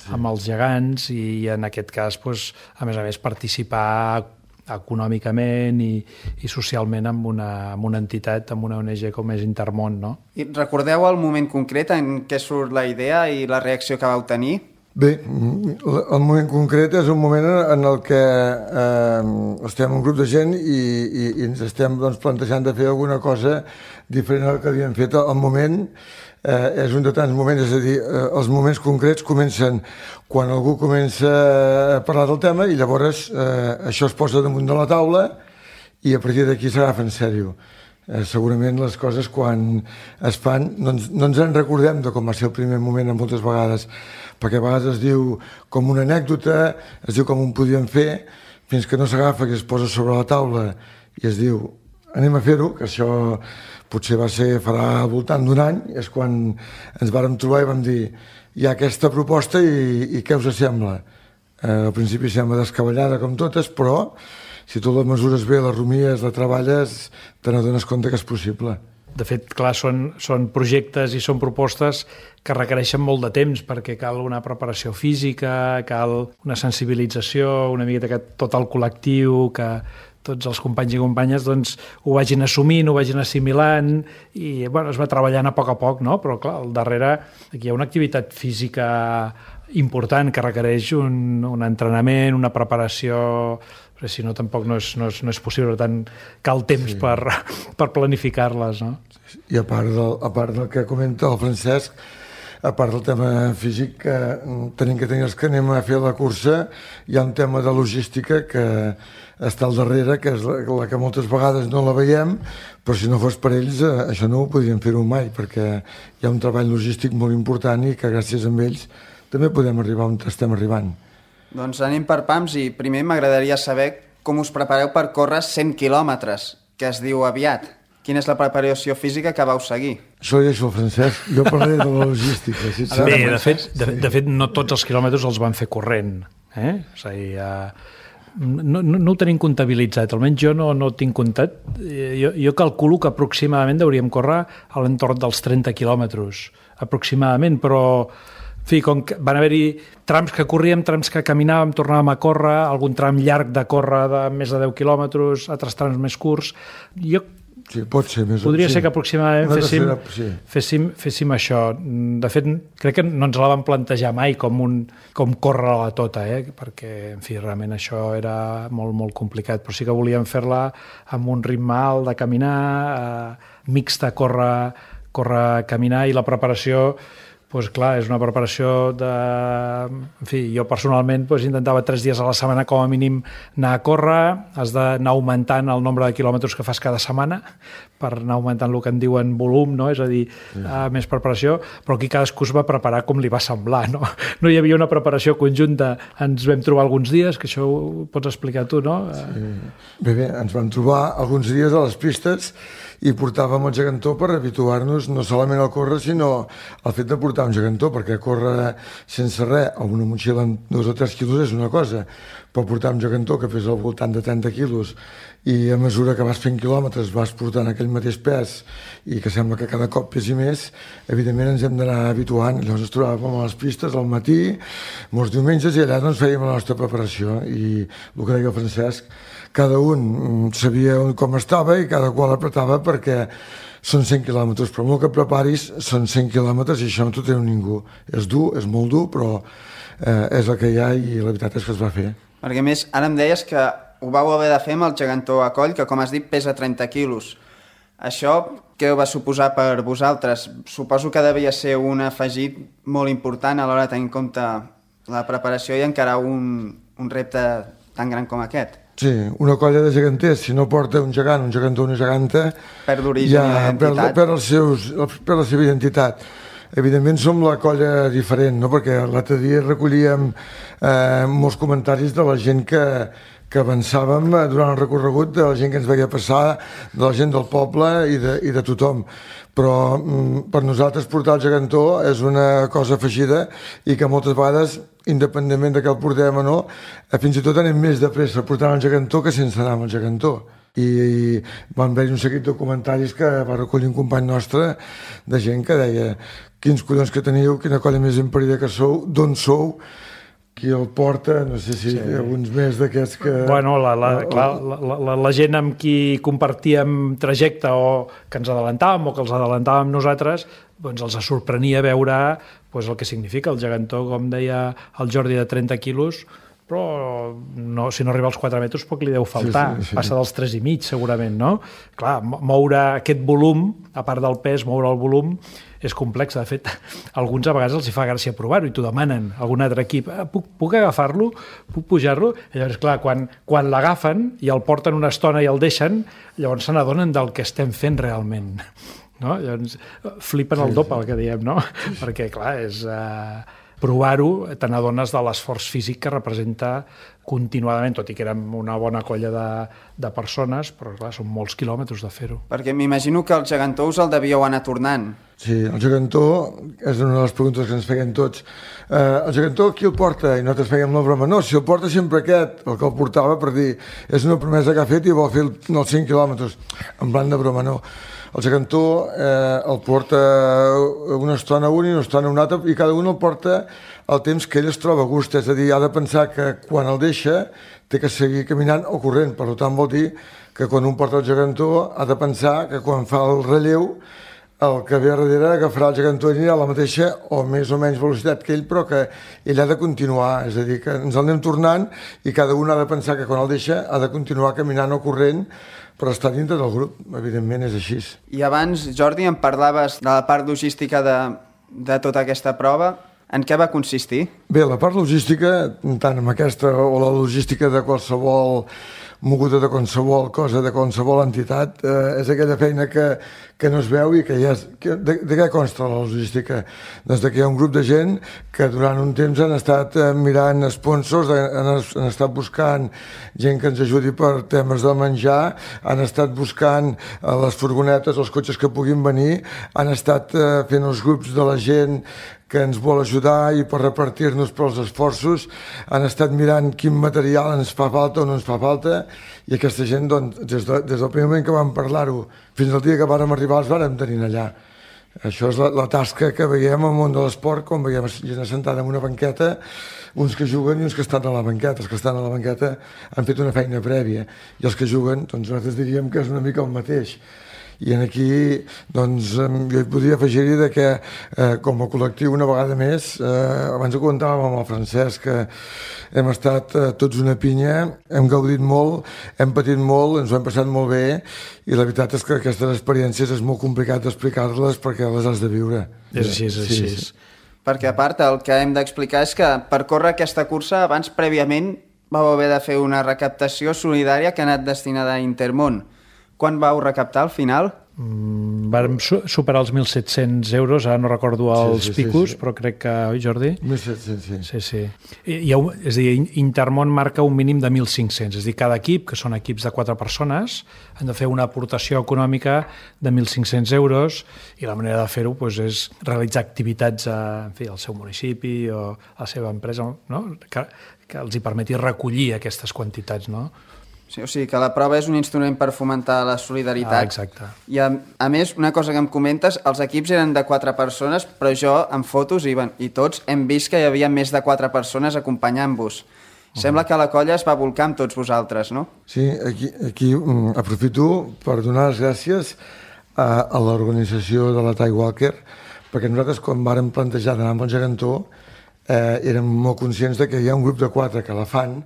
Amb els gegants i en aquest cas, a més, participar econòmicament i socialment amb una entitat, amb una ONG com és Intermont, no? I recordeu el moment concret en què surt la idea i la reacció que vau tenir? Bé, el moment concret és un moment en el que estem un grup de gent i ens estem plantejant de fer alguna cosa diferent del que havíem fet. El moment és un de tants moments, és a dir, els moments concrets comencen quan algú comença a parlar del tema i llavors això es posa damunt de la taula i a partir d'aquí s'agafa en sèrio. Segurament les coses quan es fan no ens en recordem de com va ser el primer moment moltes vegades, perquè a vegades es diu com una anècdota, es diu com ho podíem fer, fins que no s'agafa, que es posa sobre la taula i es diu anem a fer-ho, que això potser farà al voltant d'un any, és quan ens vàrem trobar i vam dir hi ha aquesta proposta i què us sembla? Al principi sembla descabellada com totes, però si tu les mesures bé, les rumies, la treballes, te n'adones compte que és possible. De fet, clar, són projectes i són propostes que requereixen molt de temps perquè cal una preparació física, cal una sensibilització, una miqueta que tot el col·lectiu, que tots els companys i companyes doncs, ho vagin assumint, ho vagin assimilant i bueno, es va treballant a poc, no? Però clar, al darrere aquí hi ha una activitat física important que requereix un entrenament, una preparació, però si no tampoc no és possible, per tant cal temps per planificar-les, no? I a part del que comenta el Francesc, a part del tema físic, que tenim que tenir els que anem a fer la cursa, hi ha un tema de logística que està al darrere, que és la que moltes vegades no la veiem, però si no fos per ells això no ho podríem fer-ho mai, perquè hi ha un treball logístic molt important i que gràcies a ells també podem arribar on estem arribant. Doncs anem per pams i primer m'agradaria saber com us prepareu per córrer 100 quilòmetres, que es diu aviat. Quina és la preparació física que vau seguir? Això ho deixo al Francesc, jo parlaré de la logística. Bé, de fet, no tots els quilòmetres els van fer corrent. És a dir, no ho tenim comptabilitzat, almenys jo no ho tinc comptat. Jo calculo que aproximadament hauríem córrer a l'entorn dels 30 quilòmetres, aproximadament, però en fi, com que van haver-hi trams que corríem, trams que caminàvem, tornàvem a córrer, algun tram llarg de córrer de més de 10 quilòmetres, altres trams més curts. Sí, pot ser més. Podria ser que aproximadament féssim això. De fet, crec que no ens la vam plantejar mai com córrer-la tota, perquè, en fi, realment això era molt, molt complicat, però sí que volíem fer-la amb un ritme alt de caminar, mixta, córrer, caminar, i la preparació, doncs clar, és una preparació de... En fi, jo personalment intentava 3 dies a la setmana com a mínim anar a córrer, has d'anar augmentant el nombre de quilòmetres que fas cada setmana per anar augmentant el que en diuen volum, no? És a dir, més preparació, però aquí cadascú es va preparar com li va semblar, no? No hi havia una preparació conjunta, ens vam trobar alguns dies, que això ho pots explicar tu, no? Sí. Bé, ens vam trobar alguns dies a les pistes i portàvem el gegantó per habituar-nos no solament al córrer, sinó al fet de portar un gegantó, perquè córrer sense res o una motxilla amb 2 o 3 quilos és una cosa, però portar un gegantó que pesa al voltant de 30 quilos i a mesura que vas fent quilòmetres vas portant aquell mateix pes i que sembla que cada cop pesi més, evidentment ens hem d'anar habituant. Llavors ens trobàvem a les pistes al matí, molts diumenges, i allà doncs fèiem la nostra preparació, i el que deia el Francesc, cada un sabia com estava i cada qual apretava, perquè són 100 quilòmetres, però molt que preparis són 100 quilòmetres i això no t'ho treu ningú. És dur, és molt dur, però és el que hi ha i la veritat és que es va fer. Perquè a més, ara em deies que ho vau haver de fer amb el gegantó a coll, que com has dit pesa 30 quilos. Això què va suposar per vosaltres? Suposo que devia ser un afegit molt important a l'hora de tenir en compte la preparació i encarar un repte tan gran com aquest. Sí, una colla de geganters, si no porta un gegant, un gegantó, una geganta, perd l'origen i l'identitat. Perd la seva identitat. Evidentment som la colla diferent, no? Perquè l'altre dia recollíem molts comentaris de la gent que avançàvem durant el recorregut, de la gent que ens veia passar, de la gent del poble i de tothom. Però per nosaltres portar el gegantó és una cosa afegida i que moltes vegades, independentment de que el portem o no, fins i tot anem més de pressa portant el gegantó que sense anar amb el gegantó. I van haver un seguit de comentaris que va recollir un company nostre de gent que deia: quins collons que teniu, quina colla més imparida que sou, d'on sou, qui el porta, no sé si alguns més d'aquests que... Bueno, la gent amb qui compartíem trajecte o que ens adelantàvem o que els adelantàvem nosaltres, doncs els sorprenia veure el que significa el gegantó, com deia el Jordi, de 30 quilos, però si no arriba als 4 metres poc li deu faltar, sí. Passa dels 3,5 segurament, no? Clar, moure aquest volum, a part del pes, moure el volum és complex. De fet, alguns a vegades els hi fa gràcia provar-ho i t'ho demanen, algun altre equip, puc agafar-lo, puc pujar-lo? Llavors, clar, quan l'agafen i el porten una estona i el deixen, llavors se n'adonen del que estem fent realment, no? Llavors flipen el doble, el que diem, no? Perquè, clar, és... provar-ho, te n'adones de l'esforç físic que representa continuadament, tot i que érem una bona colla de persones, però clar, són molts quilòmetres de fer-ho. Perquè m'imagino que el gegantó us el devíeu anar tornant. Sí, el gegantó és una de les preguntes que ens feien tots. El gegantó qui el porta? I nosaltres fèiem la broma. No, si el porta sempre aquest, el que el portava per dir és una promesa que ha fet i vol fer els 5 quilòmetres. En plan de broma, no. El gegantó el porta una estona un i una estona un altre i cada un el porta el temps que ell es troba a gust. És a dir, ha de pensar que quan el deixa té que seguir caminant o corrent. Per tant, vol dir que quan un porta el gegantó ha de pensar que quan fa el relleu el que ve a darrere agafarà el gegantó i anirà a la mateixa o més o menys velocitat que ell, però que ell ha de continuar, és a dir, que ens el anem tornant i cada un ha de pensar que quan el deixa ha de continuar caminant o corrent per estar dintre del grup, evidentment és així. I abans, Jordi, em parlaves de la part logística de tota aquesta prova. En què va consistir? Bé, la part logística, tant amb aquesta o la logística de qualsevol moguda de qualsevol cosa, de qualsevol entitat, és aquella feina que no es veu i que ja és... De què consta la logística? Doncs que hi ha un grup de gent que durant un temps han estat mirant sponsors, han estat buscant gent que ens ajudi per temes de menjar, han estat buscant les furgonetes, els cotxes que puguin venir, han estat fent els grups de la gent que ens vol ajudar i per repartir-nos pels esforços, han estat mirant quin material ens fa falta o no ens fa falta, i aquesta gent, doncs, des del primer moment que vam parlar-ho fins al dia que vàrem arribar, els vàrem tenir allà. Això és la tasca que veiem al món de l'esport, quan veiem gent assentada en una banqueta, uns que juguen i uns que estan a la banqueta. Els que estan a la banqueta han fet una feina prèvia, i els que juguen, doncs nosaltres diríem que és una mica el mateix. I aquí, doncs, jo hi podria afegir-hi que com a col·lectiu una vegada més, abans ho comentàvem amb el Francesc, que hem estat tots una pinya, hem gaudit molt, hem patit molt, ens ho hem passat molt bé, i la veritat és que aquestes experiències és molt complicat d'explicar-les perquè les has de viure. És així, és així. Sí. Perquè a part el que hem d'explicar és que per córrer aquesta cursa abans prèviament vau haver de fer una recaptació solidària que ha anat destinada a Intermón. Quan vau recaptar al final? Vam superar els 1.700 euros, ara no recordo els picos, però crec que, oi Jordi? 1.700, sí. Sí. És a dir, Intermón marca un mínim de 1.500, és a dir, cada equip, que són equips de 4 persones, han de fer una aportació econòmica de 1.500 euros i la manera de fer-ho és realitzar activitats al seu municipi o a la seva empresa, no? Que els hi permeti recollir aquestes quantitats, no? Sí, o sigui que la prova és un instrument per fomentar la solidaritat. Exacte. I a més, una cosa que em comentes, els equips eren de 4 persones, però jo en fotos i tots hem vist que hi havia més de 4 persones acompanyant-vos. Sembla que la colla es va volcar amb tots vosaltres, no? Sí, aquí aprofito per donar les gràcies a l'organització de la Ty Walker, perquè nosaltres quan vàrem plantejar d'anar amb el gegantó érem molt conscients que hi ha un grup de 4 que la fan,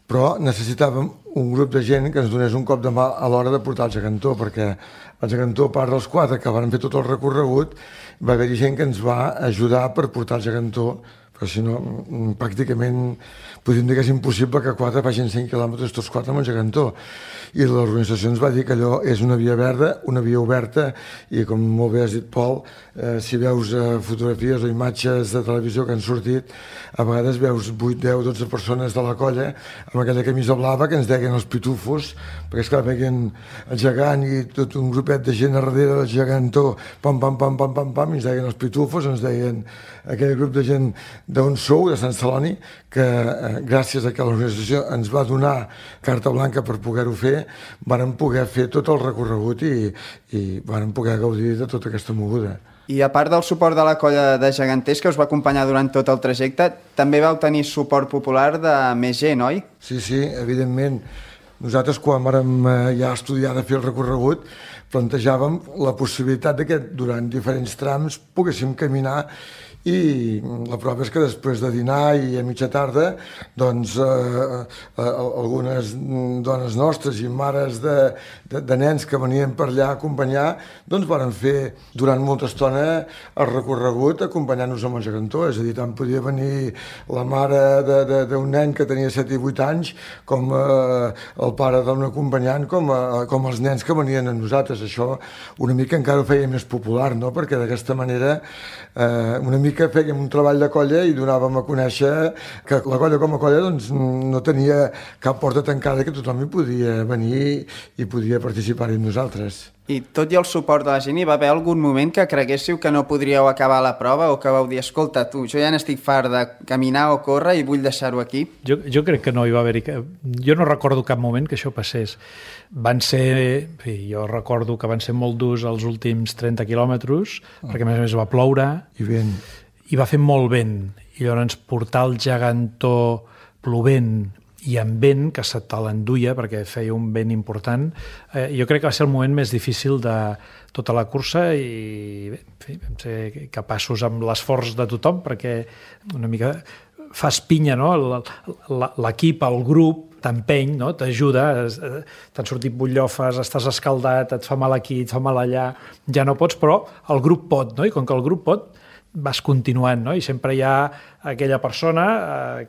però necessitàvem un grup de gent que ens donés un cop de mà a l'hora de portar el gegantó, perquè el gegantó, a part dels 4 que van fer tot el recorregut, va haver-hi gent que ens va ajudar per portar el gegantó, però si no, pràcticament podríem dir que és impossible que 4 facin 100 quilòmetres tots 4 amb un gegantó. I l'organització ens va dir que allò és una via verda, una via oberta, i com molt bé has dit, Pol, si veus fotografies o imatges de televisió que han sortit, a vegades veus 8, 10, 12 persones de la colla amb aquella camisa blava que ens deien els pitufos, perquè esclar, veien el gegant i tot un grupet de gent a darrere del gegantó, pam, pam, pam, pam, pam, pam, i ens deien els pitufos, ens deien aquell grup de gent d'on sou, de Sant Celoni, que gràcies a que l'organització ens va donar carta blanca per poder-ho fer, vàrem poder fer tot el recorregut i vàrem poder gaudir de tota aquesta moguda. I a part del suport de la colla de geganters que us va acompanyar durant tot el trajecte, també vau tenir suport popular de més gent, oi? Sí, evidentment. Nosaltres, quan vàrem ja estudiar de fer el recorregut, plantejàvem la possibilitat que durant diferents trams poguéssim caminar, i la prova és que després de dinar i a mitja tarda doncs algunes dones nostres i mares de nens que venien per allà a acompanyar doncs varen fer durant molta estona el recorregut acompanyant-nos amb el gegantó, és a dir, tant podia venir la mare d'un nen que tenia 7 i 8 anys com el pare d'un acompanyant com els nens que venien amb nosaltres. Això una mica encara ho feia més popular, no? Perquè d'aquesta manera una mica fèiem un treball de colla i donàvem a conèixer que la colla com a colla doncs, no tenia cap porta tancada, que tothom hi podia venir i podia participar-hi amb nosaltres. I tot i el suport de la gent, hi va haver algun moment que creguéssiu que no podríeu acabar la prova o que vau dir, escolta, tu, jo ja n'estic fart de caminar o córrer i vull deixar-ho aquí? Jo crec que no hi va haver-hi... Jo no recordo cap moment que això passés. Van ser... Jo recordo que van ser molt durs els últims 30 quilòmetres, perquè a més va ploure. I vent. I va fer molt vent. I llavors portar el gegantó plovent i amb vent, que se te l'enduia perquè feia un vent important, jo crec que va ser el moment més difícil de tota la cursa i bé, en fi, vam ser capaços amb l'esforç de tothom perquè una mica fas pinya, no? L'equip, el grup t'empeny, no? T'ajuda, t'han sortit butllofes, estàs escaldat, et fa mal aquí, et fa mal allà, ja no pots, però el grup pot, no? I com que el grup pot, vas continuant, no? I sempre hi ha aquella persona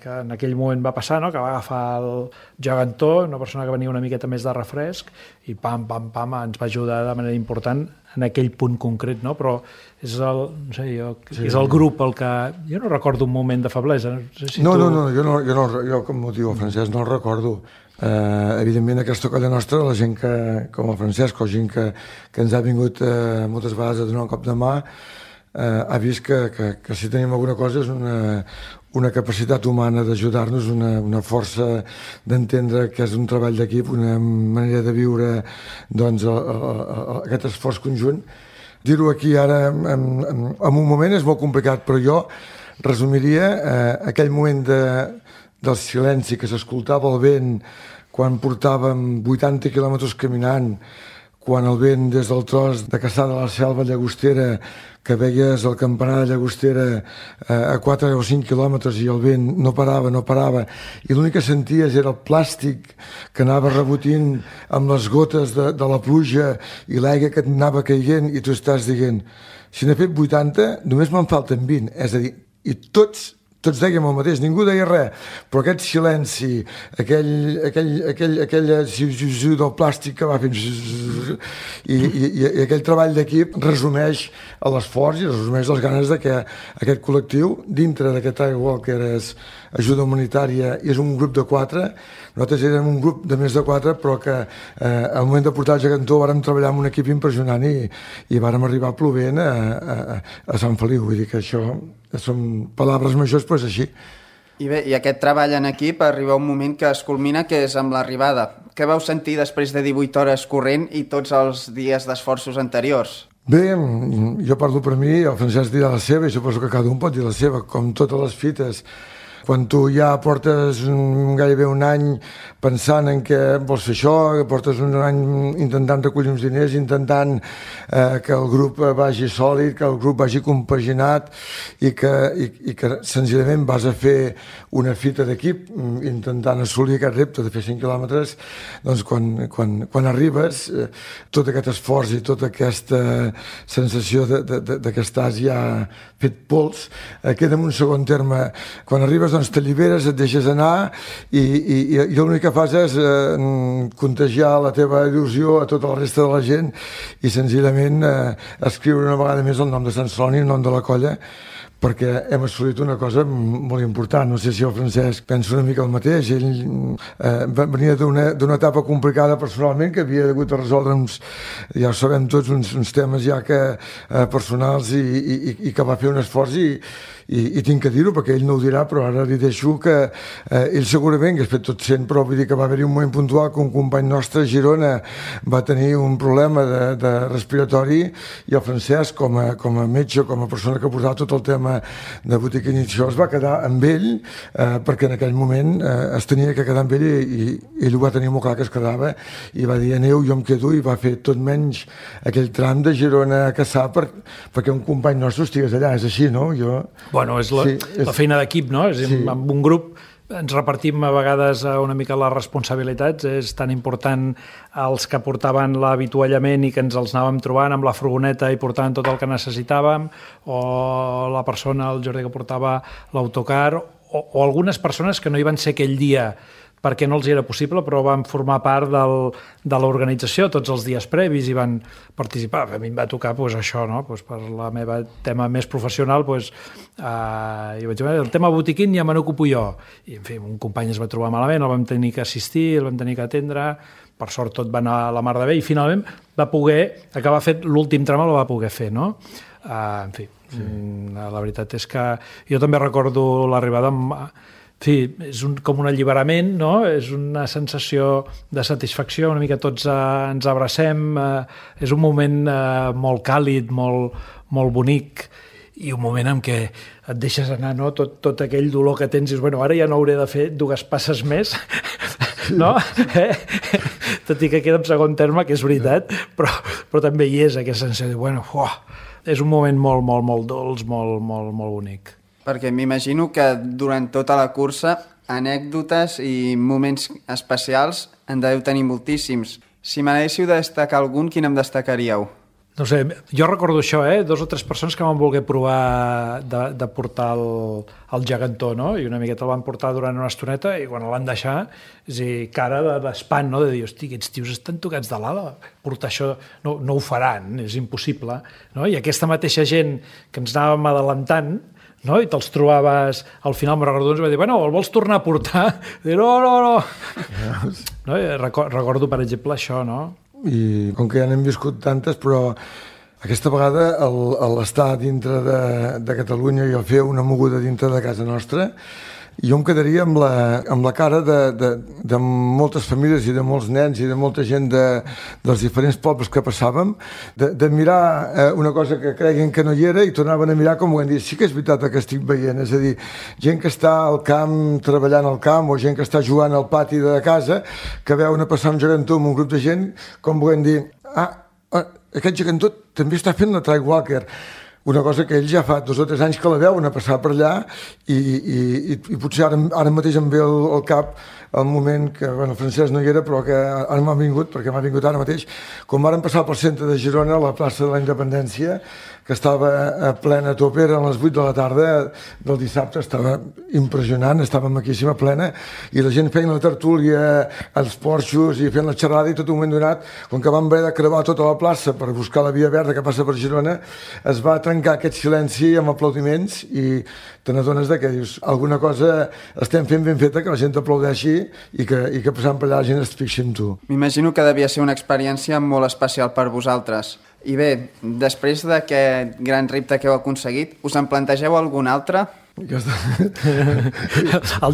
que en aquell moment va passar, no? Que va agafar el gegantó, una persona que venia una miqueta més de refresc i pam, pam, pam, ens va ajudar de manera important en aquell punt concret, no? Però és el, no sé, és el grup el que... Jo no recordo un moment de feblesa. No sé si jo com ho diu el Francesc no el recordo. Evidentment aquesta colla nostra, la gent que, com el Francesc o gent que ens ha vingut moltes vegades a donar un cop de mà, ha vist que si tenim alguna cosa és una capacitat humana d'ajudar-nos, una força d'entendre que és un treball d'equip, una manera de viure doncs, aquest esforç conjunt. Dir-ho aquí ara en un moment és molt complicat, però jo resumiria aquell moment del silenci que s'escoltava el vent quan portàvem 80 quilòmetres caminant, quan el vent des del tros de Caçà de la Selva Llagostera, que veies el campanar de Llagostera a 4 o 5 quilòmetres i el vent no parava, i l'únic que senties era el plàstic que anava rebotint amb les gotes de la pluja i l'aigua que anava caient i tu estàs dient, si n'he fet 80, només me'n falten 20, és a dir, i tots dèiem el mateix, ningú deia res, però aquest silenci, aquell del plàstic que va fent i aquell treball d'equip resumeix l'esforç i resumeix les ganes de que aquest col·lectiu, dintre d'aquest Walk que és ajuda humanitària i és un grup de 4, nosaltres érem un grup de més de 4, però que al moment de portar el gegantó vàrem treballar amb un equip impressionant i vàrem arribar plovent a Sant Feliu, vull dir que això són paraules majors, però és així. I bé, i aquest treball en equip arriba un moment que es culmina, que és amb l'arribada. Què vau sentir després de 18 hores corrent i tots els dies d'esforços anteriors? Bé, jo parlo per mi, el Francesc dirà la seva i suposo que cada un pot dir la seva, com totes les fites. Quan tu ja portes gairebé un any pensant en que vols fer això, que portes un any intentant recollir uns diners, intentant que el grup vagi sòlid, que el grup vagi compaginat i que senzillament vas a fer una fita d'equip intentant assolir aquest repte de fer 5 quilòmetres, doncs quan arribes, tot aquest esforç i tota aquesta sensació de que estàs ja fet pols, queda en un segon terme. Quan arribes doncs t'alliberes, et deixes anar i l'únic que fas és contagiar la teva il·lusió a tota la resta de la gent i senzillament escriure una vegada més el nom de Sant Celoni, el nom de la colla, perquè hem assolit una cosa molt important. No sé si el Francesc pensa una mica el mateix. Ell venia d'una etapa complicada personalment, que havia hagut de resoldre ja ho sabem tots, uns temes ja personals i que va fer un esforç i tinc que dir-ho perquè ell no ho dirà, però ara li deixo que ell segurament que has fet tot sent, però vull dir que va haver-hi un moment puntual que un company nostre a Girona va tenir un problema de respiratori i el Francesc com a metge, com a persona que portava tot el tema de botiquín i això es va quedar amb ell perquè en aquell moment es tenia que quedar amb ell i ell ho va tenir molt clar que es quedava i va dir aneu, jo em quedo i va fer tot menys aquell tram de Girona a Caçà perquè un company nostre estigués allà, és així, no? Bueno, és la feina d'equip, no? Amb un grup ens repartim a vegades una mica les responsabilitats, és tan important els que portaven l'avituallament i que ens els anàvem trobant amb la furgoneta i portaven tot el que necessitàvem, o la persona, el Jordi, que portava l'autocar, o algunes persones que no hi van ser aquell dia perquè no els era possible, però van formar part de l'organització tots els dies previs i van participar. A mi em va tocar això, no? Per la meva tema més professional, jo vaig dir, el tema botiquín ja me n'ocupo jo. I, en fi, un company es va trobar malament, el vam tenir que assistir, el vam tenir que atendre, per sort tot va anar a la mar de bé i finalment va poder acabar fent l'últim tram, el va poder fer, no? En fi, la veritat és que jo també recordo l'arribada amb... En fi, és com un alliberament, no? És una sensació de satisfacció, una mica tots ens abracem, és un moment molt càlid, molt bonic, i un moment en què et deixes anar, no? Tot aquell dolor que tens, i dius, bueno, ara ja no hauré de fer 2 passes més, no? Tot i que queda en segon terme, que és veritat, però també hi és aquesta sensació de, bueno, és un moment molt dolç, molt bonic. Perquè m'imagino que durant tota la cursa anècdotes i moments especials en deveu tenir moltíssims. Si me n'haguéssiu de destacar algun, quin em destacaríeu? No sé, jo recordo això, 2 o 3 persones que van voler provar de portar el gegantó, no? I una miqueta el van portar durant una estoneta i quan el van deixar, és a dir, cara d'espant, no? De dir, hosti, aquests tios estan tocats de l'ala, portar això no ho faran, és impossible, no? I aquesta mateixa gent que ens anàvem adelantant, no? I te'ls trobaves, al final me'n recordo, ens va dir, bueno, el vols tornar a portar? I no. No? Recordo, per exemple, això, no? I com que ja n'hem viscut tantes, però aquesta vegada l'estar dintre de Catalunya i el fer una moguda dintre de casa nostra, jo em quedaria amb la cara de moltes famílies i de molts nens i de molta gent dels diferents pobles que passàvem, de mirar una cosa que creguin que no hi era i tornaven a mirar com ho hem dit, sí que és veritat que estic veient, és a dir, gent que està al camp treballant al camp o gent que està jugant al pati de casa, que veuen a passar un gegantó amb un grup de gent, com volem dir, aquest gegantó també està fent la Trail Walker. Una cosa que ells ja fa 2 o 3 anys que la veuen a passar per allà i potser ara mateix em ve al cap el moment que, bueno, el Francesc no hi era, però que ara m'ha vingut, perquè m'ha vingut ara mateix, quan vàrem passar pel centre de Girona, a la plaça de la Independència, que estava a plena tope, eren les 8 de la tarda del dissabte, estava impressionant, estava maquíssima, plena, i la gent feien la tertúlia als porxos i fent la xerrada, i tot un moment donat, com que vam haver de creuar tota la plaça per buscar la via verda que passa per Girona, es va trencar aquest silenci amb aplaudiments i te n'adones que dius, alguna cosa estem fent ben feta, que la gent t'aplaudeixi i que passant per allà la gent es fixi en tu. M'imagino que devia ser una experiència molt especial per vosaltres. I bé, després d'aquest gran repte que heu aconseguit, us en plantegeu algun altre? El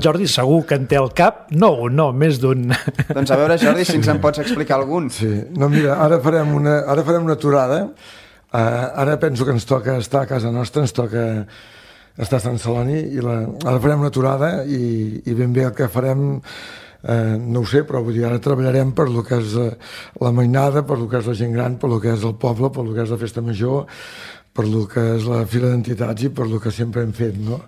Jordi segur que en té al cap, no, més d'un. Doncs a veure, Jordi, si ens en pots explicar algun. Sí, no, mira, ara farem una aturada. Ara penso que ens toca estar a casa nostra, ens toca estar a Sant Celoni, i ara farem una aturada i ben bé el que farem, no ho sé, però vull dir, ara treballarem per lo que és la mainada, per lo que és la gent gran, per lo que és el poble, per lo que és la festa major, per lo que és la fila d'entitats i per lo que sempre hem fet, no?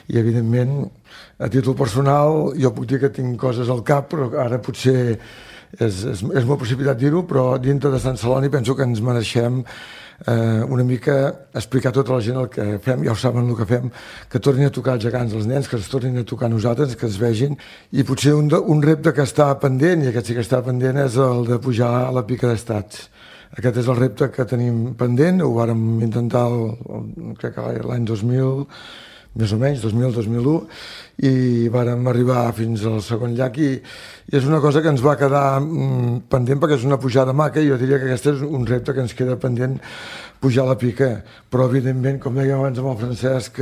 I evidentment, a títol personal, jo puc dir que tinc coses al cap, però ara potser és molt precipitat dir-ho, però dintre de Sant Celoni penso que ens mereixem una mica explicar a tota la gent el que fem, ja ho saben el que fem, que tornin a tocar els gegants dels nens, que ens tornin a tocar nosaltres, que ens vegin, i potser un repte que està pendent, i aquest sí que està pendent, és el de pujar a la pica d'estats. Aquest és el repte que tenim pendent, ho vàrem intentar crec que l'any 2000, més o menys, 2000-2001, i vàrem arribar fins al segon llac i és una cosa que ens va quedar pendent perquè és una pujada maca i jo diria que aquest és un repte que ens queda pendent pujar a la pica, però evidentment, com dèiem abans amb el Francesc,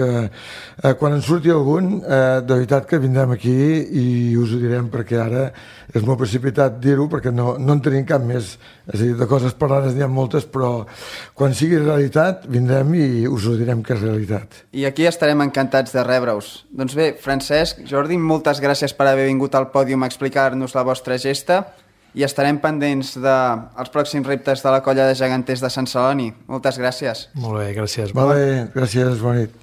quan en surti algun, de veritat que vindrem aquí i us ho direm, perquè ara és molt precipitat dir-ho perquè no en tenim cap més, és a dir, de coses parlades n'hi ha moltes, però quan sigui realitat vindrem i us ho direm que és realitat. I aquí estarem encantats de rebre-us. Doncs bé, Francesc, Jordi, moltes gràcies per haver vingut al pòdium a explicar-nos la vostra gesta i estarem pendents dels pròxims reptes de la colla de geganters de Sant Celoni. Moltes gràcies. Molt bé, gràcies. Molt bé, gràcies, bona nit.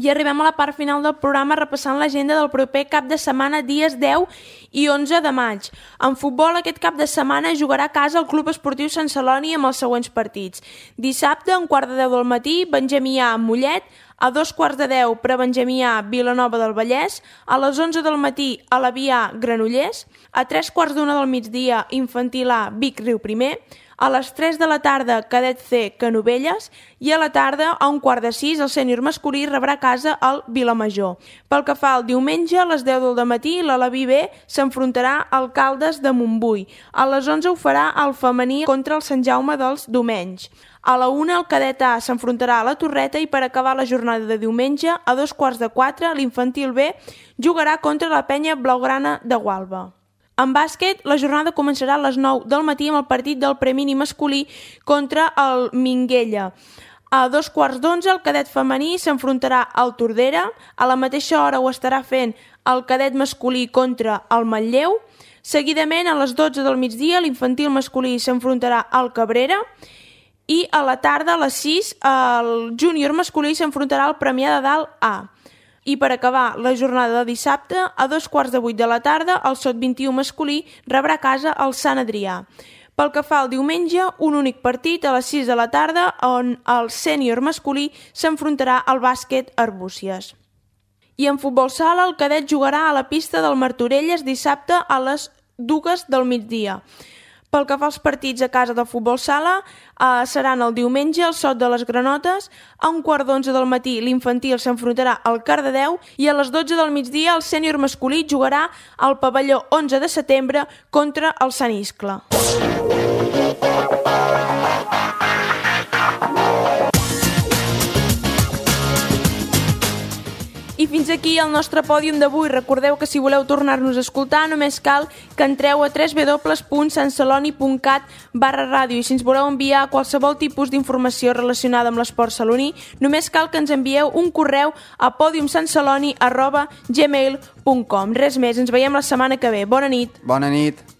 I arribem a la part final del programa repassant l'agenda del proper cap de setmana, dies 10 i 11 de maig. En futbol, aquest cap de setmana jugarà a casa el Club Esportiu Sant Celoni amb els següents partits. Dissabte, a 9:45 del matí, Benjamí A amb Mollet, a 9:15 Prebenjamí A Vilanova del Vallès, a les 11 del matí Alaví A Granollers, a 3:15 del migdia Infantil A Vic Riu Primer, a les 3 de la tarda Cadet C Canovelles i a la tarda a 5:15 el sènior masculí rebrà a casa el Vilamajor. Pel que fa al diumenge, a les 10 del dematí l'Alaví B s'enfrontarà al Caldes de Montbui. A les 11 ho farà el femení contra el Sant Jaume dels Domenys. A la 1 el cadet A s'enfrontarà a la Torreta i per acabar la jornada de diumenge, a 3:15 l'infantil B jugarà contra la penya blaugrana de Gualba. En bàsquet, la jornada començarà a les 9 del matí amb el partit del premini masculí contra el Minguella. A 2:15 el cadet femení s'enfrontarà al Tordera, a la mateixa hora ho estarà fent el cadet masculí contra el Manlleu. Seguidament, a les 12 del migdia, l'infantil masculí s'enfrontarà al Cabrera i a la tarda, a les 6, el júnior masculí s'enfrontarà al Premià de Dalt A. I per acabar la jornada de dissabte, a 7:15 de la tarda, el Sot 21 masculí rebrà a casa el Sant Adrià. Pel que fa al diumenge, un únic partit a les 6 de la tarda on el sènior masculí s'enfrontarà al bàsquet Arbúcies. I en futbol sala, el cadet jugarà a la pista del Martorelles dissabte a les 2 del migdia. Pel que fa als partits a casa del futbol sala, seran el diumenge el Sot de les Granotes, a 11:15 del matí l'infantil s'enfrontarà al Cardedeu i a les 12 del migdia el sènior masculí jugarà al pavelló 11 de setembre contra el Sant Iscle. I fins aquí el nostre pòdium d'avui. Recordeu que si voleu tornar-nos a escoltar només cal que entreu a www.santceloni.cat/ràdio i si ens voleu enviar qualsevol tipus d'informació relacionada amb l'esport saloní només cal que ens envieu un correu a podiumsantceloni@gmail.com. Res més, ens veiem la setmana que ve. Bona nit. Bona nit.